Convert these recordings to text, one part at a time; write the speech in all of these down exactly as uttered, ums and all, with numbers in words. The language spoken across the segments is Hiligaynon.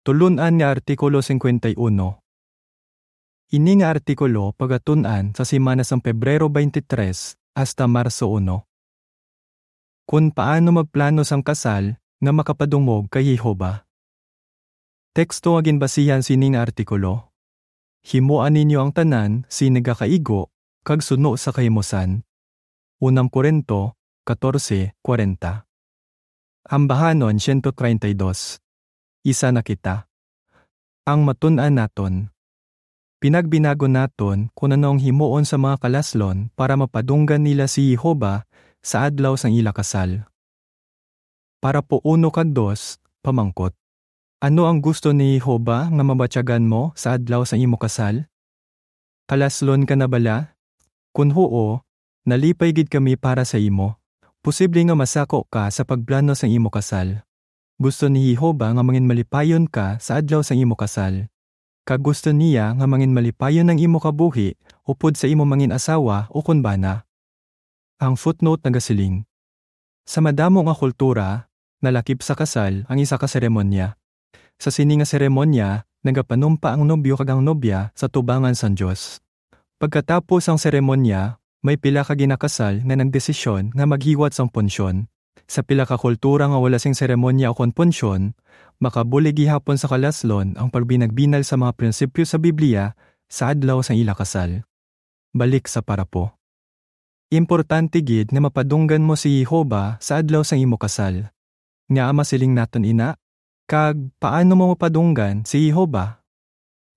Tulun-an nga Artikulo singkwenta y uno. Ini nga artikulo pagatun-an sa semana sang Pebrero twenty-three hasta Marso uno. Kon paano magplano sang kasal nga makapadungog kay Jehovah. Teksto nga ginbasihan sini nga artikulo. Himoa ninyo ang tanan sing nagakaigo kag suno sa kahimusan. Unang Corinto catorce cuarenta. Ambahanon siyento treinta y dos. Isa na kita. Ang matun-an naton. Pinagbinagon naton kon ano ang himuon sa mga kalaslon para mapadunggan nila si Jehovah sa adlaw sang ila kasal. Parapo uno kag dos, pamangkot. Ano ang gusto ni Jehovah nga mabatyagan mo sa adlaw sang imo kasal? Kalaslon ka na bala? Kon huo, nalipay gid kami para sa imo. Posible nga masako ka sa pagplano sang imo kasal. Gusto ni Jehovah nga manginmalipayon ka sa adlaw sang imo kasal. Kag gusto niya nga manginmalipayon ang imo kabuhi upod sa imo mangin-asawa ukon bana. Ang footnote nagasiling, sa madamo nga kultura, nalakip sa kasal ang isa ka seremonya. Sa sini nga seremonya, nagapanumpa ang nobyo kag ang nobya sa tubangan sang Dios. Pagkatapos sang seremonya, may pila ka ginakasal nga nagdesisyon nga maghiwat sang punsyon. Sa pila ka kultura nga wala sing seremonya ukon punsyon, makabulig gihapon sa kalaslon ang pagbinagbinag sa mga prinsipyo sa Biblia sa adlaw sang ila kasal. Balik sa parapo. Importante gid nga mapadunggan mo si Jehovah sa adlaw sang imo kasal. Ngaa masiling naton ina? Kag paano mo mapadunggan si Jehovah?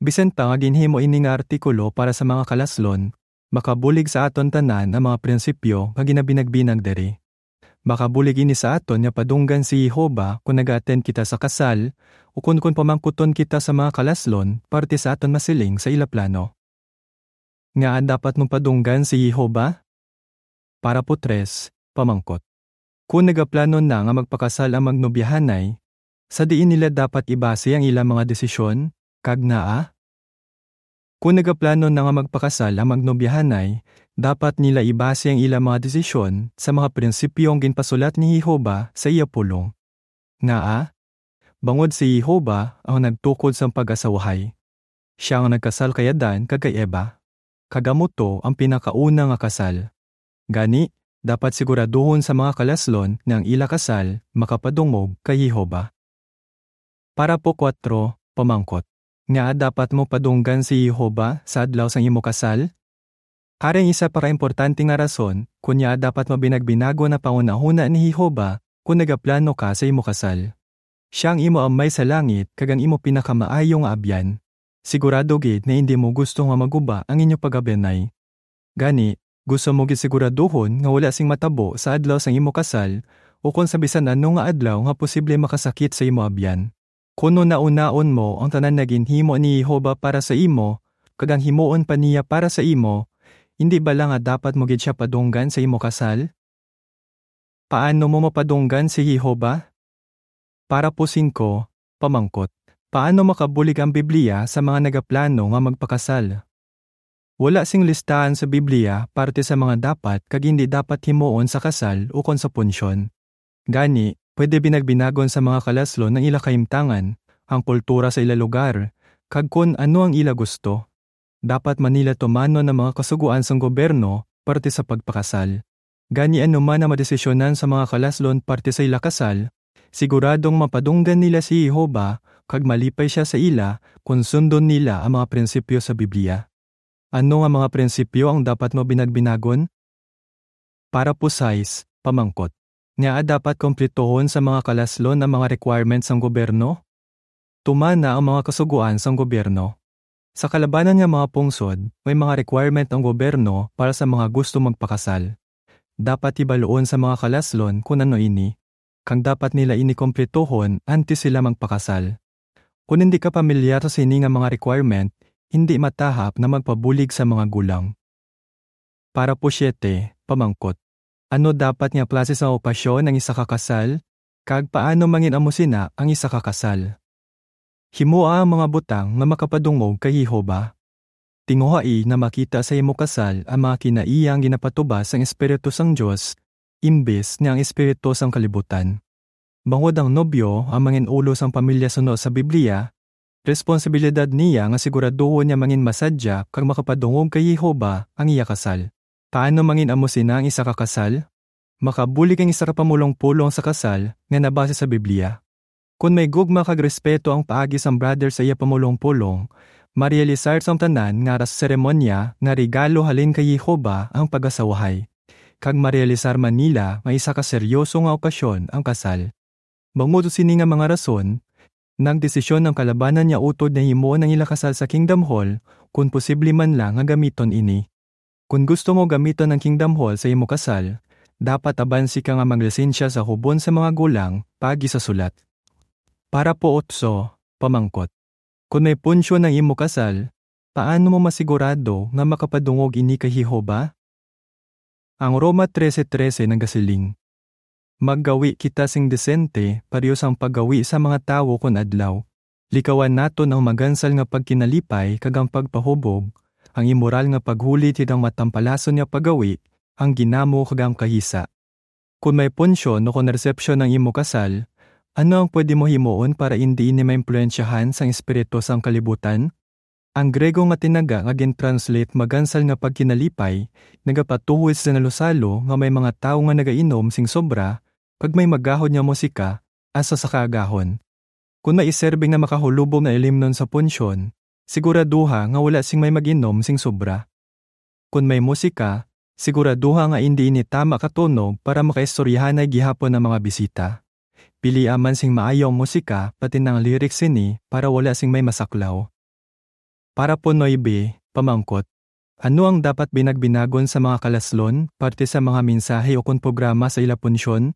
Bisan pa nga ginhimo ini nga artikulo para sa mga kalaslon, makabulig sa aton tanan ang mga prinsipyo nga ginabinagbinag diri. Makabulig ini sa aton nga padunggan si Jehovah kon nag-attend kita sa kasal, ukon kon pamangkuton kita sa mga kalaslon parte sa aton masiling sa ila plano. Ngaa dapat mo padunggan si Jehovah? Parapo tres, pamangkot. Kon nagaplano na nga magpakasal ang magnobyahanay, sa diin nila dapat ibase ang ila mga desisyon, kag ngaa? Kon nagaplano na nga magpakasal ang magnobyahanay, dapat nila ibase ang ila mga desisyon sa mga prinsipyo nga ginpasulat ni Jehovah sa iya pulong. Ngaa? Bangod si Jehovah ang nagtukod sang pag-asawahay. Sia ang nagkasal kay Adan kag kay Eva, kag amo to ang pinakauna nga kasal. Gani, dapat siguraduhon sa mga kalaslon nga ang ila kasal makapadungog kay Jehovah. Parapo kuwatro, pamangkot. Ngaa dapat mo padunggan si Jehovah sa adlaw sang imo kasal? Ari ang isa pa ka importante nga rason kon ngaa dapat mabinagbinagon ang panghunahuna ni Jehovah kon nagaplano ka sa imo kasal. Sia ang imo Amay sa langit kag ang imo pinakamaayo nga abyan. Sigurado gid nga indi mo gusto nga maguba ang inyo pag-abyanay. Gani, gusto mo gid siguraduhon nga wala sing matabo sa adlaw sang imo kasal, ukon sa bisan ano nga adlaw nga posible makasakit sa imo abyan. Kon hunahunaon mo ang tanan nga ginhimo ni Jehovah para sa imo, kag ang himuon pa niya para sa imo, indi bala nga dapat mo gid sia padunggan sa imo kasal? Paano mo mapadunggan si Jehovah? Parapo singko, pamangkot. Paano makabulig ang Biblia sa mga nagaplano nga magpakasal? Wala sing listahan sa Biblia parte sa mga dapat kag indi dapat himuon sa kasal ukon sa punsyon. Gani, pwede binagbinagon sa mga kalaslon ang ila kahimtangan, ang kultura sa ila lugar, kag kon ano ang ila gusto. Dapat man nila tumanon ang mga kasugoan sang gobyerno parte sa pagpakasal. Gani, ano man ang madesisyonan sa mga kalaslon parte sa ila kasal, siguradong mapadunggan nila si Jehovah kag malipay sia sa ila kon sundon nila ang mga prinsipyo sa Biblia. Ano nga mga prinsipyo ang dapat mo binagbinagon? Parapo sais, pamangkot. Ngaa dapat kumplituhon sa mga kalaslon ang mga requirements sang gobyerno? Tumana ang mga kasugoan sang gobyerno. Sa kalabanan nga mga pungsod, may mga requirement ang gobyerno para sa mga gusto magpakasal. Dapat hibaluon sa mga kalaslon kon ano ini, kag dapat nila ini kumplituhon antes sila magpakasal. Kon indi ka pamilyar sa sini nga mga requirement, indi matahap na magpabulig sa mga gulang. Parapo siete, pamangkot. Ano dapat nga klase sa okasyon ang isa ka kasal, kag paano mangin-amo sina ang isa ka kasal? Himoa ang mga butang nga makapadungog kay Jehovah. Tinguhai nga makita sa imo kasal ang mga kinaiya nga ginapatubas sang Espiritu sang Dios, imbes nga ang espiritu sang kalibutan. Bangod ang nobyo ang mangin-ulo sang pamilya suno sa Biblia, Responsibilidad niya nga siguraduhon nga manginmasadya kag makapadungog kay Jehovah ang iya kasal. Paano mangin-amo sina ang isa ka kasal? Makabulig ang isa ka pamulong-pulong sa kasal nga nabase sa Biblia. Kon may gugma kag respeto ang paagi sang brother sa iya pamulong-pulong, marealisar sang tanan nga ara sa seremonya nga regalo halin kay Jehovah ang pag-asawahay, kag marealisar man nila nga isa ka seryoso nga okasyon ang kasal. Bangod sa sini nga mga rason, nagdesisyon ang kalabanan nga utod nga himuon ang ila kasal sa Kingdom Hall, kon posible man lang nga gamiton ini. Kon gusto mo gamiton ang Kingdom Hall sa imo kasal, dapat abansi ka nga maglisensya sa hubon sa mga gulang paagi sa sulat. Parapo otso, pamangkot. Kon may punsyon ang imo kasal, paano mo masigurado nga makapadungog ini kay Jehovah? Ang Roma trese trese nagasiling, "Maggawi kita sing disente, pareho sang paggawi sa mga tawo kon adlaw. Likawan naton ang magansal nga pagkinalipay kag ang pagpahubog, ang imoral nga paghulit kag ang matampalason nga paggawi, ang ginamo kag ang kahisa." Kon may punsyon o kon resepsyon ang imo kasal, ano ang pwede mo himuon para indi ini maimpluwensyahan sang espiritu sang kalibutan? Ang Grego nga tinaga nga gin-translate magansal nga pagkinalipay nagapatuhoy sa nalusalo nga may mga tawo nga nagainom sing sobra kag may magahod nga musika hasta sa kaagahon. Kon may iserbi nga makahulubong nga ilimnon sa punsyon, siguraduha nga wala sing may mag-inom sing sobra. Kon may musika, siguraduha nga indi ini tama ka tono para makaistoryahanay gihapon ang mga bisita. Pilia man sing maayo ang musika, pati na ang lyrics sini, para wala sing may masaklaw. Parapo nuebe, pamangkot. Ano ang dapat binagbinagon sa mga kalaslon, parte sa mga mensahe o kon programa sa ila punsyon?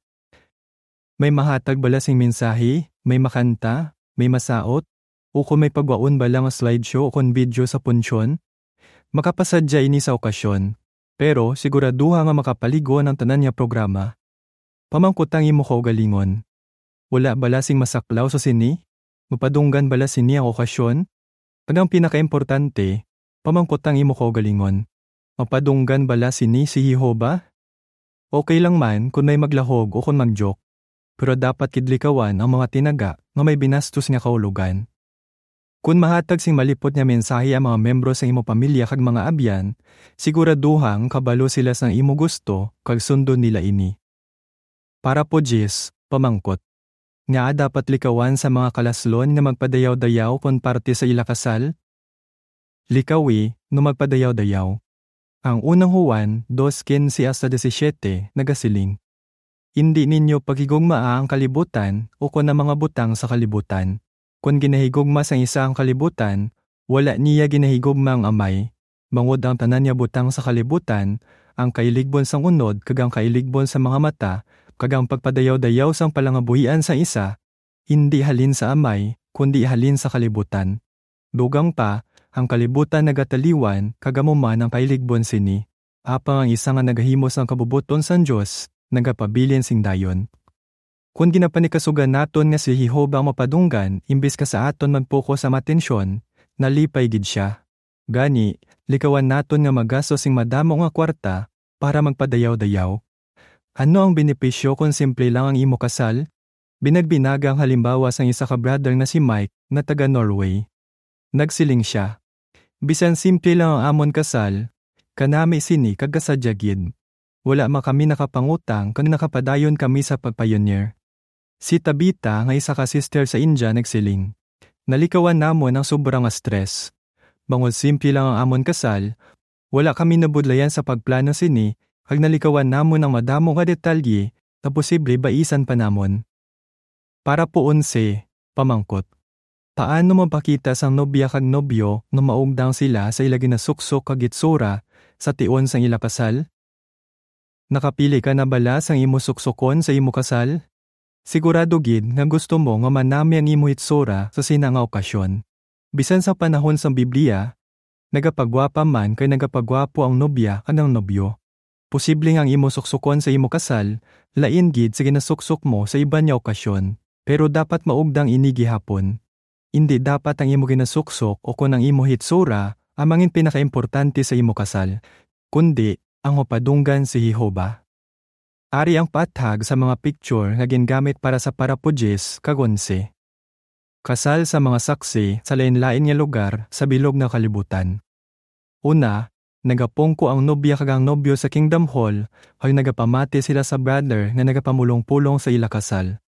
May mahatag bala sing mensahe, may makanta, may masaot, o kon may pagwaon bala nga slideshow o kon video sa punsyon? Makapasadya ini sa okasyon, pero siguraduha nga makapalig-on ang tanan nga programa. Pamangkot ang imo kaugalingon, "Wala bala sing masaklaw sa sini? Mapadunggan bala sini ang okasyon?" Kag ang pinakaimportante, pamangkot ang imo kaugalingon, "Mapadunggan bala sini si Jehovah?" Okay lang man kon may maglahog o kon mag-joke, pero dapat gid likawan ang mga tinaga nga may binastos nga kahulogan. Kon mahatag sing malipot nga mensahe ang mga miyembro sang imo pamilya kag mga abyan, siguraduha nga kabalo sila sang imo gusto kag sundon nila ini. Parapo diyes, pamangkot. Ngaa dapat likawan sa mga kalaslon nga magpadayaw-dayaw kon parte sa ila kasal? Likawi nga magpadayaw-dayaw. Ang unang Juan dos quince hasta disisiete nagasiling, "Indi ninyo paghigugmaa ang kalibutan ukon ang mga butang sa kalibutan. Kon ginahigugma sang isa ang kalibutan, wala niya ginahigugma ang Amay. Bangod ang tanan nga butang sa kalibutan, ang kailigbon sang unod kag ang kailigbon sa mga mata, kag ang pagpadayaw-dayaw sang palangabuhian sang isa, indi halin sa Amay, kundi halin sa kalibutan. Dugang pa, ang kalibutan nagataliwan, kag amo man ang kailigbon sini. Apang ang isa nga nagahimo sang kabubot-on sang Dios nagapabilin sing dayon." Kon ginapanikasugan naton nga si Jehovah ang mapadunggan imbis ka sa aton mag-focus ang atensyon, nalipay gid sia. Gani, likawan naton nga magastos sing madamo nga kwarta para magpadayaw-dayaw. Ano ang benepisyo kon simple lang ang imo kasal? Binagbinaga ang halimbawa sang isa ka brother nga si Mike nga taga Norway. Nagsiling sia, "Bisan simple lang ang amon kasal, kanami sini kag kasadya gid. Wala man kami nakapangutang kag nakapadayon kami sa pagpayunir." Si Tabitha nga isa ka sister sa India nagsiling, "Nalikawan namon ang sobra nga stress. Bangod simple lang ang amon kasal, wala kami nabudlayan sa pagplano sini kag nalikawan namon ang madamo nga detalye nga posible baisan pa namon." Parapo onse, pamangkot. Paano mapakita sang nobya kag nobyo nga maugdang sila sa ila ginasuksok kag itsura sa tion sang ila kasal? Nakapili ka na bala sang imo suksokon sa imo kasal? Sigurado gid nga gusto mo nga manami ang imo hitsura sa sina nga okasyon. Bisan sa panahon sang Biblia, nagapagwapa man kay nagapagwapo ang nobya kag ang nobyo. Posible nga ang imo suksokon sa imo kasal lain gid sa ginasuksok mo sa iban nga okasyon, pero dapat maugdang ini gihapon. Indi dapat ang imo ginasuksok o kon ang imo hitsura ang mangin pinakaimportante sa imo kasal, kundi ang mapadunggan si Jehovah. Ari ang paathag sa mga picture nga gingamit para sa parapo diyes kag onse. Kasal sa mga saksi sa lain-lain nga lugar sa bilog nga kalibutan. Una, nagapungko ang nobya kag ang nobyo sa Kingdom Hall, kag nagapamati sila sa brother nga nagapamulong-pulong sa ila kasal.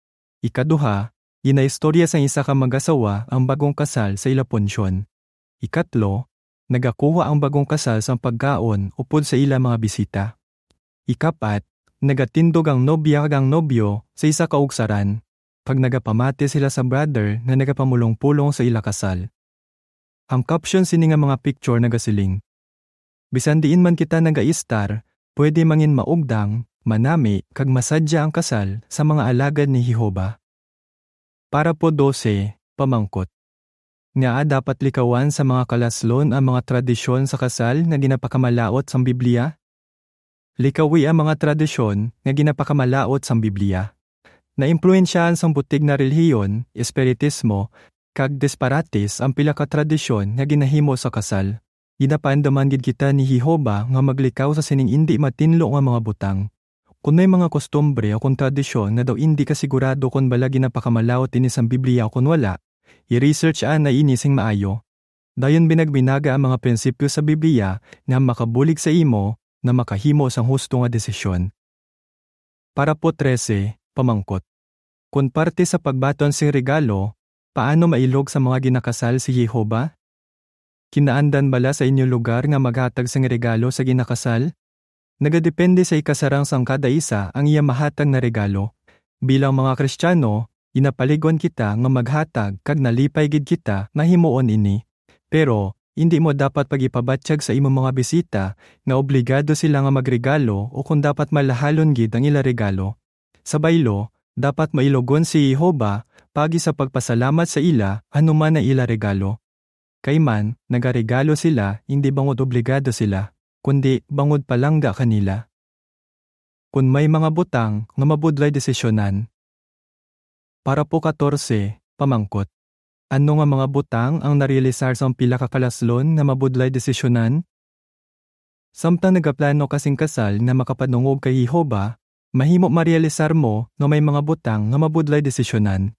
Ikaduha, ginaistorya sang isa ka mag-asawa ang bagong kasal sa ila punsyon. Ikatlo, nagakuha ang bagong kasal sang pagkaon upod sa ila mga bisita. Ikapat, nagatindog ang nobya kag ang nobyo sa isa ka ugsaran, kag nagapamati sila sa brother nga nagapamulong-pulong sa ila kasal. Ang caption sini nga mga picture nagasiling, "Bisan diin man kita nagaistar, pwede mangin maugdang, manami, kag masadya ang kasal sa mga alagad ni Jehovah." Parapo dose, pamangkot. Ngaa dapat likawan sa mga kalaslon ang mga tradisyon sa kasal nga ginapakamalaut sang Biblia? Likawi ang mga tradisyon nga ginapakamalaut sang Biblia. Naimpluwensyahan sang butig nga relihiyon, espiritismo, kag disparates ang pila ka tradisyon nga ginahimo sa kasal. Ginapaandaman gid kita ni Jehovah nga maglikaw sa sining indi matinlo nga mga butang. Kon may mga kostumbre o kon tradisyon nga daw indi ka sigurado kon bala ginapakamalaut ini sang Biblia o kon wala, i-research anay ini sing maayo. Dayon binagbinaga ang mga prinsipyo sa Biblia nga makabulig sa imo nga makahimo sang husto nga desisyon. Parapo trese, pamangkot. Kon parte sa pagbaton sing regalo, paano mailog sa mga ginakasal si Jehovah? Kinaandan bala sa inyo lugar nga maghatag sing regalo sa ginakasal? Nagadepende sa ikasarang sang kada isa ang iya mahatag nga regalo. Bilang mga Kristiyano, ginapaligon kita nga maghatag kag nalipay gid kita nga himuon ini. Pero, indi mo dapat pag-ipabatyag sa imo mga bisita nga obligado sila nga magregalo o kon dapat malahalon gid ang ila regalo. Sa baylo, dapat mailogon si Jehovah paagi sa pagpasalamat sa ila anuman ang ila regalo. Kay man, nagaregalo sila indi bangod obligado sila, kundi bangod palangga kanila. Kon may mga butang nga mabudlay desisyonan. Parapo katorse, pamangkot. Ano nga mga butang ang narealisar sang pila ka kalaslon nga mabudlay desisyonan? Samtang nagaplano ka sing kasal nga makapadungog kay Jehovah, mahimo marealisar mo nga may mga butang nga mabudlay desisyonan.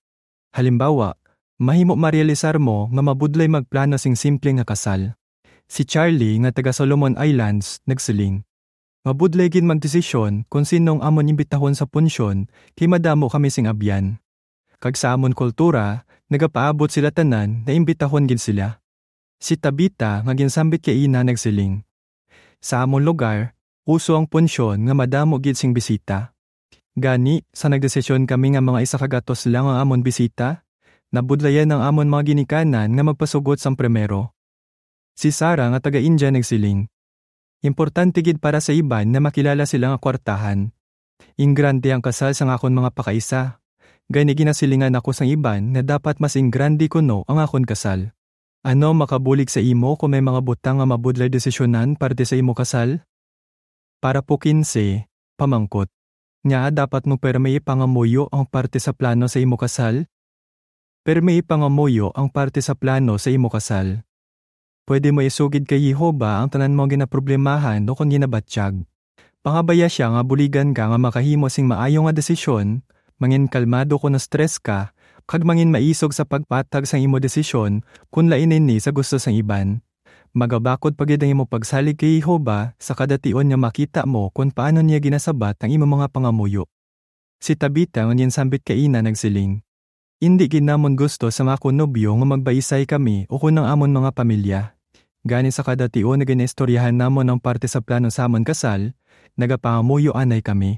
Halimbawa, mahimo marealisar mo nga mabudlay magplano sing simple nga kasal. Si Charlie nga taga Solomon Islands nagsiling, "Mabudlay gid magdesisyon kon sino ang amon imbitahon sa punsyon kay madamo kami sing abyan. Kag sa amon kultura, nagapaabot sila tanan nga imbitahon gid sila." Si Tabita nga ginsambit kay ina nagsiling, "Sa amon lugar, uso ang punsyon nga madamo gid sing bisita. Gani, sa nagdesisyon kami nga mga isa ka gatos lang ang amon bisita, nabudlayan ang amon mga ginikanan nga magpasugot sang primero." Si Sarah nga taga India nagsiling, "Importante gid para sa iban nga makilala sila nga kwartahan. Ingrande ang kasal sang akon mga pakaisa. Gani ginasilingan ako sang iban nga dapat mas ingrande kuno ang akon kasal." Ano makabulig sa imo kon may mga butang nga mabudlay desisyonan parte sa imo kasal? Parapo kinse, pamangkot. Ngaa dapat mo pirme ipangamuyo ang parte sa plano sa imo kasal? Pirme ipangamuyo ang parte sa plano sa imo kasal. Pwede mo isugid kay Jehovah ang tanan mo ginaproblemahan o kon ginabatyag. Pangabaya sia nga buligan ka nga makahimo sing maayo nga desisyon, mangin kalmado kon na-stress ka, kag mangin maisog sa pagpatag sang imo desisyon kon lain ini sa gusto sang iban. Magabakod pa gid ang imo pagsalig kay Jehovah sa kada tion nga makita mo kon paano niya ginasabat ang imo mga pangamuyo. Si Tabita nga ginsambit kay ina nagsiling, "Indi gid namon gusto sang akon nobyo nga magbaisay kami ukon ang amon mga pamilya. Gani sa kada tion nga ginaistoryahan namon ang parte sa plano sa amon kasal, nagapangamuyo anay kami.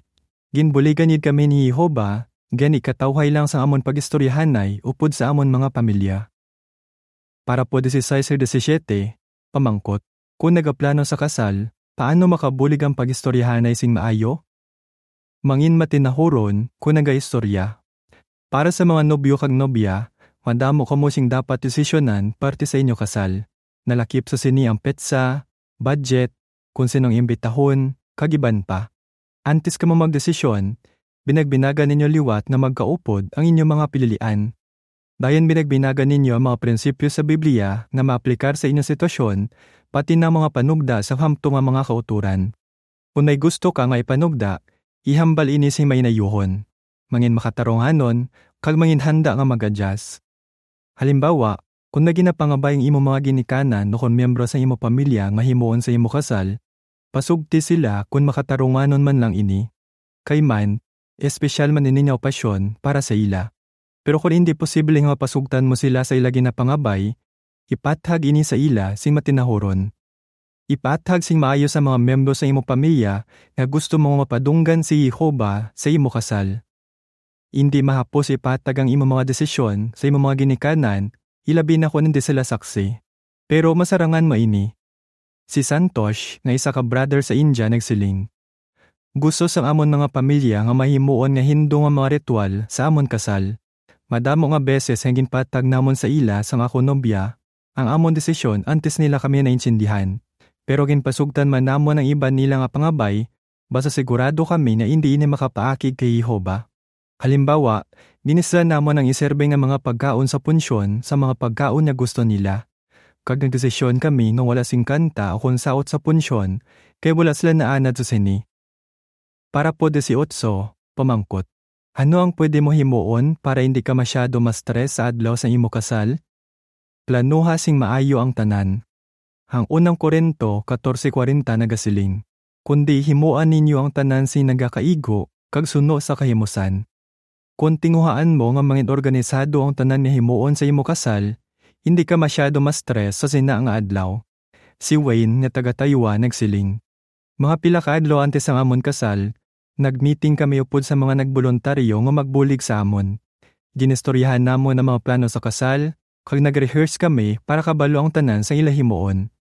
Ginbuligan gid kami ni Jehovah, gani katawhay lang sang amon pag-istoryahanay upod sa amon mga pamilya." Parapo dieciséis kag diecisiete, pamangkot, kon nagaplano sa kasal, paano makabulig ang pag-istoryahanay sing maayo? Mangin matinahuron kon nagaistorya. Para sa mga nobyo kag nobya, madamo kamo sing dapat desisyonan parte sa inyo kasal. Nalakip sa sini ang petsa, budget, kon sin-o ang imbitahon, kag iban pa. Antes kamo magdesisyon, binagbinagan ninyo liwat nga magkaupod ang inyo mga pililian. Dayon binagbinagan ninyo ang mga prinsipyo sa Biblia nga maaplikar sa inyo sitwasyon, pati na ang mga panugda sa hamtong nga mga kautoran. Kon may gusto ka nga ipanugda, ihambal ini sing mainayuhon, mangin makatarunganon, kag mangin handa nga mag-adjust. Halimbawa, kung may ginapangabay ang imo mga ginikanan o kon miyembro sa imo pamilya nga himuon sa imo kasal, pasugti sila kon makatarunganon man lang ini. Kay man, espesyal man ini nga okasyon para sa ila. Pero kon indi posible nga mapasugtan mo sila sa ila ginapangabay, ipathag ini sa ila sing matinahuron. Ipathag sing maayo sa mga miyembro sa imo pamilya nga gusto mo nga mapadunggan si Jehovah sa imo kasal. Indi mahapos ipatag ang imo mga desisyon sa imo mga ginikanan, ilabi na kon indi sila saksi. Pero masarangan mo ini. Si Santosh, nga isa ka brother sa India, nagsiling, "Gusto sang amon mga pamilya nga mahimuon nga hindu nga mga ritual sa amon kasal. Madamo nga beses nga ginpatag namon sa ila sang akon nobya ang amon desisyon antes nila kami naintindihan. Pero ginpasugtan man namon ang iban nila nga pangabay, basta sigurado kami nga indi ini makapaakig kay Jehovah. Halimbawa, ginisdan namon ang iserbe nga mga pagkaon sa punsyon sa mga pagkaon nga gusto nila. Kag nagdesisyon kami nga wala sing kanta o kon saot sa punsyon, kay wala sila naanad sa sini." Parapo dieciocho, pamangkot, ano ang pwede mo himuon para indi ka masyado ma-stress sa adlaw sang imo kasal? Planuha sing maayo ang tanan. Ang unang Corinto catorce cuarenta nagasiling, "Kundi himoa ninyo ang tanan sing nagakaigo kag suno sa kahimusan." Kon tinguhaan mo nga mangin-organisado ang tanan nga himuon sa imo kasal, indi ka masyado ma-stress sa sina nga adlaw. Si Wayne nga taga Taiwan nagsiling, "Mga pila ka adlaw antes sang amon kasal, nag-meeting kami upod sa mga nagboluntaryo nga magbulig sa amon. Ginistoryahan namon ang mga plano sa kasal, kag nag-rehearse kami para kabalo ang tanan sang ila himuon.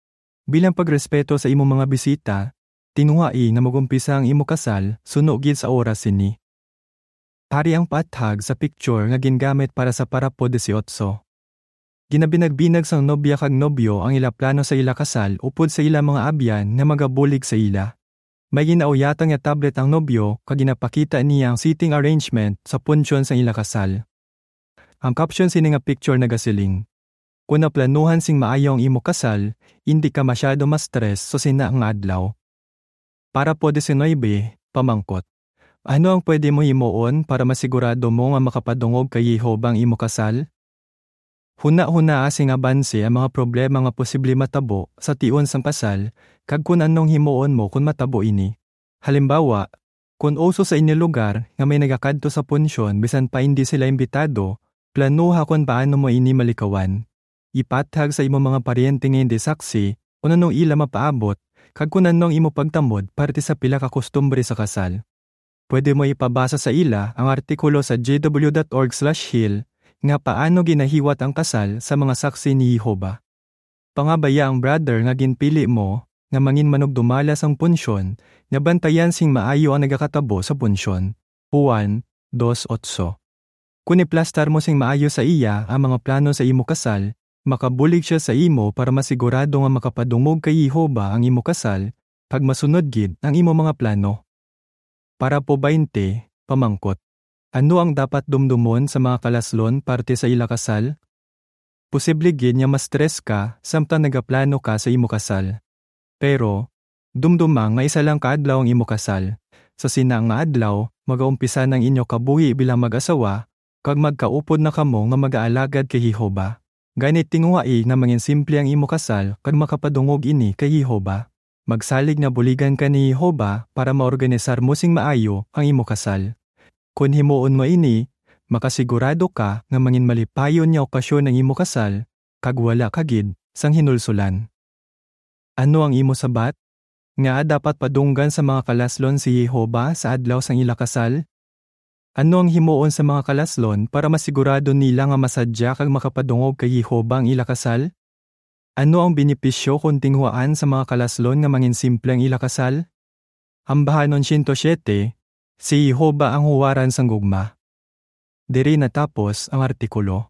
Bilang pagrespeto sa imo mga bisita, tinguhai nga mag-umpisa ang imo kasal suno gid sa oras sini." Ari ang paathag sa picture nga gingamit para sa parapo dieciocho. Ginabinagbinag sang nobya kag nobyo ang ila plano sa ila kasal upod sa ila mga abyan nga magabulig sa ila. May ginauyatan nga tablet ang nobyo kag ginapakita niya ang seating arrangement sa punsyon sang ila kasal. Ang caption sini nga picture nagasiling, "Kon naplanuhan sing maayo ang imo kasal, indi ka masyado ma-stress sa sina nga adlaw." Parapo diecinuebe, pamangkot, ano ang pwede mo himuon para masigurado mo nga makapadungog kay Jehovah ang imo kasal? Hunahunaa sing abanse ang mga problema nga posible matabo sa tion sang kasal, kag kon anong himuon mo kon matabo ini. Halimbawa, kon uso sa inyo lugar nga may nagakadto sa punsyon bisan pa indi sila imbitado, planuha kon paano mo ini malikawan. Ipathag sa imo mga paryente nga indi saksi kon anong ila mapaabot kag kon ano ang imo pagtamod parte sa pila ka kustumbre sa kasal. Pwede mo ipabasa sa ila ang artikulo sa J W dot org slash hill nga paano ginahiwat ang kasal sa mga saksi ni Jehovah. Pangabaya ang brother nga ginpili mo nga mangin manugdumala sang punsyon nga bantayan sing maayo ang nagakatabo sa punsyon. Juan dos otso. Kon iplastar mo sing maayo sa iya ang mga plano sa imo kasal, makabulig sia sa imo para masigurado nga makapadungog kay Jehovah ang imo kasal kag masunod gid ang imo mga plano. Parapo baynte, pamangkot, ano ang dapat dumdumon sa mga kalaslon parte sa ila kasal? Posible gid nga ma-stress ka samtang nagaplano ka sa imo kasal. Pero, dumduma nga isa lang ka adlaw ang imo kasal. Sa sina nga adlaw, magaumpisa na ang inyo kabuhi bilang mag-asawa, kag magkaupod na kamo nga magaalagad kay Jehovah. Gani, tinguhai nga mangin simple ang imo kasal kag makapadungog ini kay Jehovah. Magsalig nga buligan ka ni Jehovah para maorganisar mo sing maayo ang imo kasal. Kon himuon mo ini, makasigurado ka nga mangin malipayon nga okasyon ang imo kasal, kag wala ka gid sang hinulsulan. Ano ang imo sabat? Ngaa dapat padunggan sa mga kalaslon si Jehovah sa adlaw sang ila kasal? Ano ang himuon sa mga kalaslon para masigurado nila nga masadya kag makapadungog kay Jehovah ang ila kasal? Ano ang benepisyo kon tinguhaan sa mga kalaslon nga mangin simple ang ila kasal? Ambahanon siyento siyete, si Jehovah ang huwaran sang gugma. Diri natapos ang artikulo.